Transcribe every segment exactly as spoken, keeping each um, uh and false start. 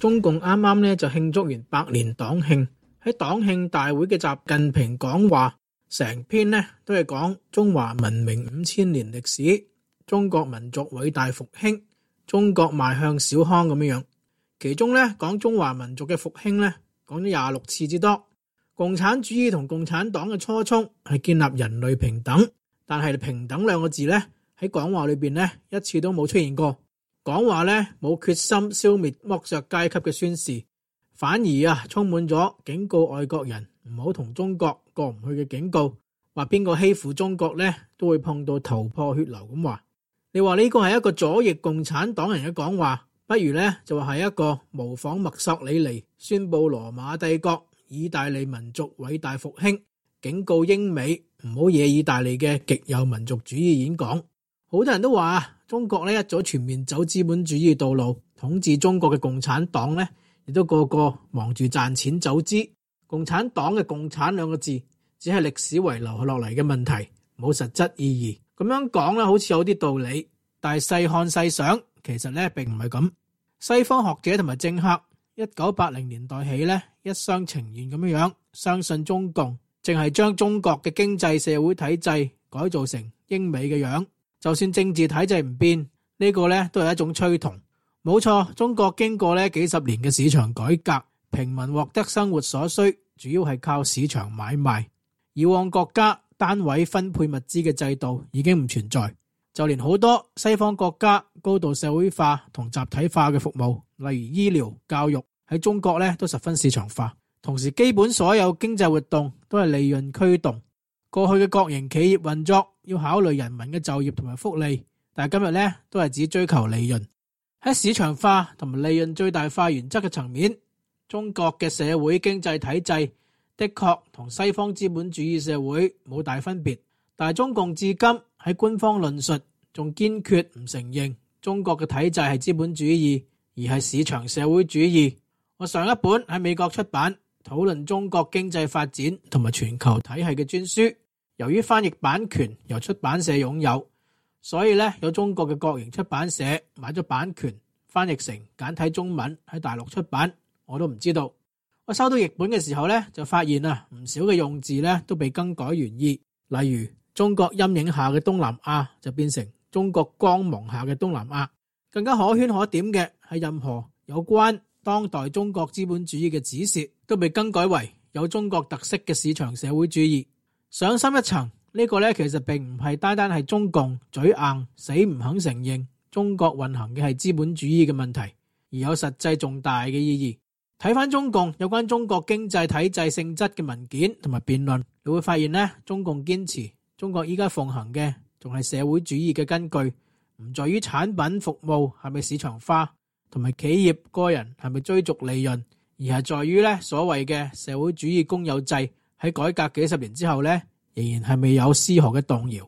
中共啱啱咧就慶祝完百年黨慶，喺黨慶大會嘅習近平講話，成篇呢都係講中華文明五千年歷史，中國民族偉大復興，中國邁向小康咁樣樣。其中咧講中華民族嘅復興咧，講咗廿六次之多。共產主義同共產黨嘅初衷係建立人類平等，但係平等兩個字咧喺講話裏邊咧一次都冇出現過。講話咧冇決心消滅剝削階級嘅宣示，反而啊充滿咗警告外國人唔好同中國過唔去嘅警告，話邊個欺負中國咧都會碰到頭破血流咁話。你話呢個係一個左翼共產黨人嘅講話，不如咧就話係一個模仿墨索里尼宣布羅馬帝國意大利民族偉大復興，警告英美唔好惹意大利嘅極右民族主義演講。好多人都話中國咧一早全面走資本主義道路，統治中國嘅共產黨咧亦都個個忙住賺錢走資。共產黨嘅共產兩個字只係歷史遺留落嚟嘅問題，冇實質意義。咁樣講咧好似有啲道理，但係細看細想，其實咧並唔係咁。西方學者同埋政客一九八零年代起咧一廂情願咁樣樣相信中共淨係將中國嘅經濟社會體制改造成英美嘅樣，就算政治體制唔變，呢個咧都係一種趨同。冇錯，中國經過咧幾十年嘅市場改革，平民獲得生活所需主要係靠市場買賣。以往國家單位分配物資嘅制度已經唔存在，就連好多西方國家高度社會化同集體化嘅服務，例如醫療、教育，喺中國咧都十分市場化。同時基本所有經濟活動都係利潤驅動。過去嘅國營企業運作要考慮人民嘅就業同埋福利，但係今日咧都係只追求利潤。喺市場化同埋利潤最大化原則嘅層面，中國嘅社會經濟體制的確同西方資本主義社會冇大分別，但係中共至今喺官方論述仲堅決唔承認中國嘅體制係資本主義，而係市場社會主義。我上一本喺美國出版討論中國經濟發展同埋全球體系嘅專書，由於翻譯版權由出版社擁有，所以咧有中國嘅國營出版社買咗版權，翻譯成簡體中文喺大陸出版，我都唔知道。我收到譯本嘅時候咧，就發現啊，唔少嘅用字咧都被更改原意，例如中國陰影下嘅東南亞就變成中國光芒下嘅東南亞。更加可圈可點嘅係任何有關當代中國資本主義嘅指示都被更改為有中國特色嘅市場社會主義。上深一層，呢個咧其實並唔係單單係中共嘴硬死唔肯承認中國運行嘅係資本主義嘅問題，而有實際重大嘅意義。睇翻中共有關中國經濟體制性質嘅文件同埋辯論，你會發現呢，中共堅持中國依家奉行嘅仲係社會主義嘅根據，唔在於產品服務係咪市場化，同埋企業個人係咪追逐利潤，而係在於咧所謂嘅社會主義公有制喺改革幾十年之後咧，仍然係未有絲毫嘅動搖。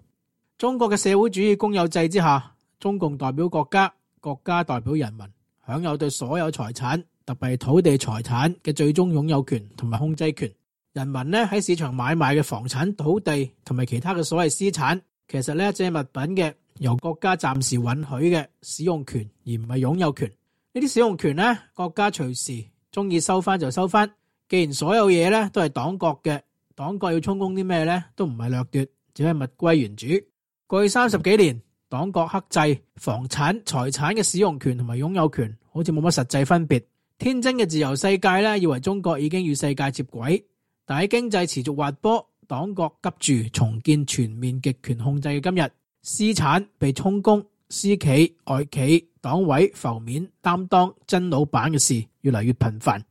中國嘅社會主義公有制之下，中共代表國家，國家代表人民，享有對所有財產，特別係土地財產嘅最終擁有權同埋控制權。人民咧喺市場買賣嘅房產、土地同埋其他嘅所謂私產，其實咧只係物品嘅由國家暫時允許嘅使用權，而唔係擁有權。呢啲使用權咧，國家隨時中意收翻就收翻。既然所有嘢咧都係黨國嘅，黨國要充公啲咩咧，都唔係掠奪，只係物歸原主。過去三十幾年，黨國克制房產、財產嘅使用權同埋擁有權，好似冇乜實際分別。天真嘅自由世界咧，以為中國已經與世界接軌，但喺經濟持續滑坡，黨國急住重建全面極權控制嘅今日，私產被充公，私企、外企、黨委浮面擔當真老闆嘅事越嚟越頻繁。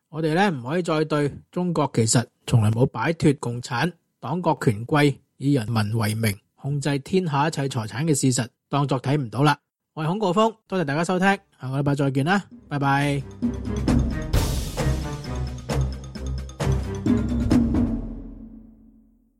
我哋咧唔可以再對中國其實從來冇擺脫共產黨國權貴以人民為名控制天下一切財產嘅事實當作睇唔到啦。我係孔誥烽，多謝大家收聽，下個禮拜再見啦，拜拜。